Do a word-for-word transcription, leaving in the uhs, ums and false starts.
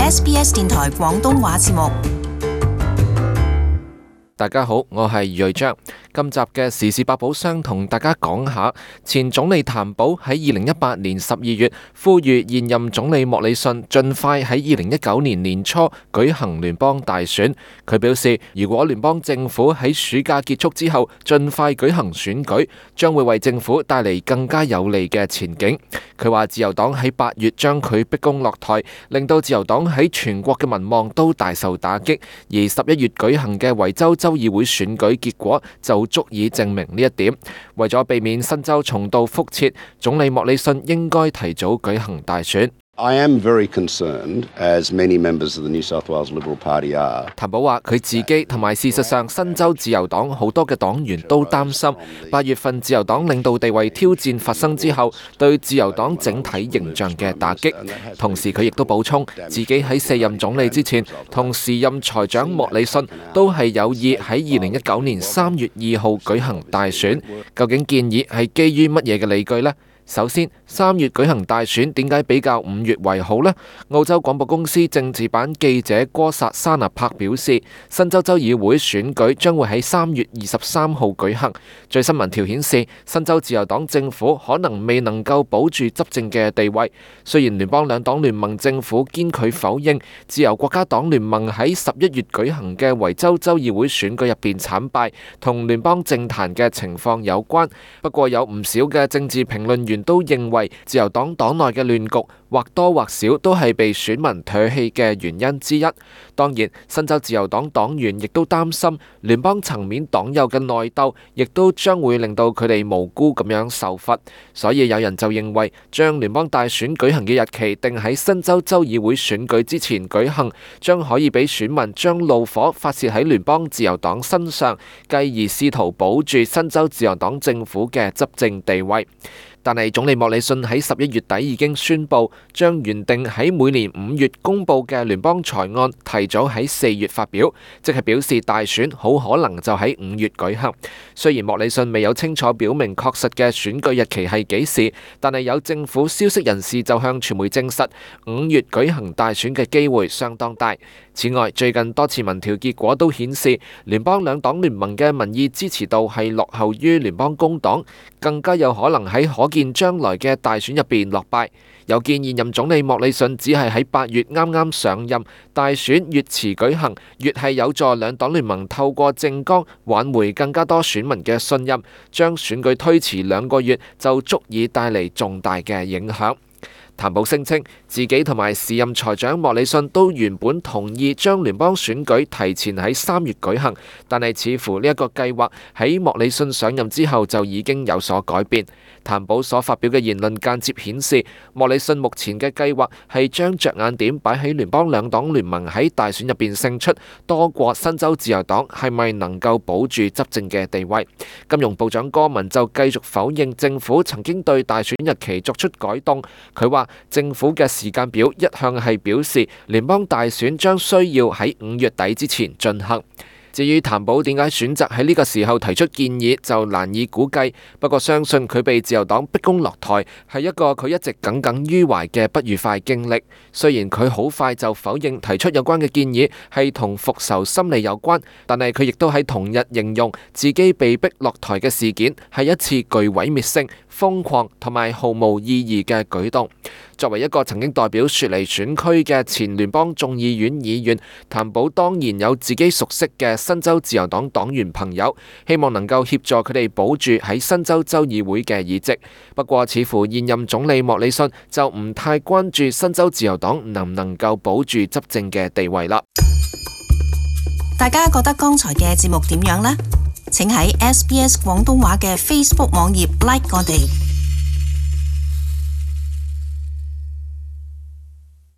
S B S 電台廣東話節目。大家好，我係余瑞章。今集嘅時事百寶箱同大家講下，前總理譚寶喺二零一八年十二月呼籲現任總理莫里遜盡快喺二零一九年年初舉行聯邦大選。佢表示，如果聯邦政府喺暑假結束之後盡快舉行選舉，將會為政府帶嚟更加有利嘅前景。佢話自由黨喺八月將佢逼宮落台，令到自由黨喺全國嘅民望都大受打擊，而十一月舉行嘅維州州議會選舉結果就足以證明呢一點。為咗避免新州重蹈覆轍，總理莫里遜應該提早舉行大選。I am very concerned, as many members of the New South Wales Liberal Party are. 譚寶話佢自己同埋事實上新州自由黨好多嘅黨員都擔心八月份自由黨領導地位挑戰發生之後對自由黨整體形象嘅打擊。同時佢亦都補充自己喺卸任總理之前同時任財長莫里遜都係有意喺二零一九年三月二號舉行大選。究竟建議係基於乜嘢嘅理據呢？首先，三月舉行大選點解比較五月為好呢？澳洲廣播公司政治版記者哥薩沙納柏表示，新州州議會選舉將會喺三月二十三號舉行。最新民調顯示，新州自由黨政府可能未能夠保住執政嘅地位。雖然聯邦兩黨聯盟政府堅拒否認自由國家黨聯盟喺十一月舉行嘅維州州議會選舉入邊慘敗同聯邦政壇嘅情況有關，不過有唔少嘅政治評論員都認為自由黨黨內嘅亂局或多或少都係被選民唾棄嘅原因之一。當然，新州自由黨黨員亦都擔心聯邦層面黨友嘅內鬥，亦都將會令到佢哋無辜咁樣受罰。所以有人就認為，將聯邦大選舉行嘅日期定喺新州州議會選舉之前舉行，將可以俾選民將怒火發洩喺聯邦自由黨身上，繼而試圖保住新州自由黨政府嘅執政地位。但係總理莫里遜喺十一月底已經宣布，將原定喺每年五月公佈嘅聯邦財案提早喺四月發表，即係表示大選好可能就喺五月舉行。雖然莫里遜未有清楚表明確實嘅選舉日期係幾時，但係有政府消息人士就向傳媒證實，五月舉行大選嘅機會相當大。此外，最近多次民調結果都顯示，聯邦兩黨聯盟嘅民意支持度係落後於聯邦工黨，更加有可能喺可見將來嘅大選入邊落敗。有見現任總理莫里遜只係喺八月啱啱上任，大選越遲舉行，越係有助兩黨聯盟透過政綱挽回更加多選民嘅信任，將選舉推遲兩個月就足以帶嚟重大嘅影響。譚寶聲稱自己同埋時任財長莫里遜都原本同意將聯邦選舉提前喺三月舉行，但係似乎呢一個計劃喺莫里遜上任之後就已經有所改變。譚寶所發表嘅言論間接顯示，莫里遜目前嘅計劃係將着眼點擺喺聯邦兩黨聯盟喺大選入邊勝出，多過新州自由黨係咪能夠保住執政嘅地位。金融部長戈文就繼續否認政府曾經對大選日期作出改動。佢話政府嘅時間表一向係表示聯邦大選將需要喺五月底之前進行。至於譚寶點解選擇喺呢個時候提出建議，就難以估計。不過相信佢被自由黨逼宮落台係一個佢一直耿耿於懷嘅不愉快經歷。雖然佢好快就否認提出有關嘅建議係同復仇心理有關，但係佢亦都喺同日形容自己被逼落台嘅事件係一次具毀滅性、瘋狂同埋毫無意義嘅舉動。作為一個曾經代表雪梨選區嘅前聯邦眾議院議員，譚寶當然有自己熟悉嘅新州自由黨黨員朋友，希望能夠協助佢哋保住喺新州州議會嘅議席。不過似乎現任總理莫里遜就唔太關注新州自由黨能唔能夠保住執政嘅地位啦。大家覺得剛才嘅節目點樣呢？請喺 S B S 廣東話嘅 Facebook 網頁 like 我哋。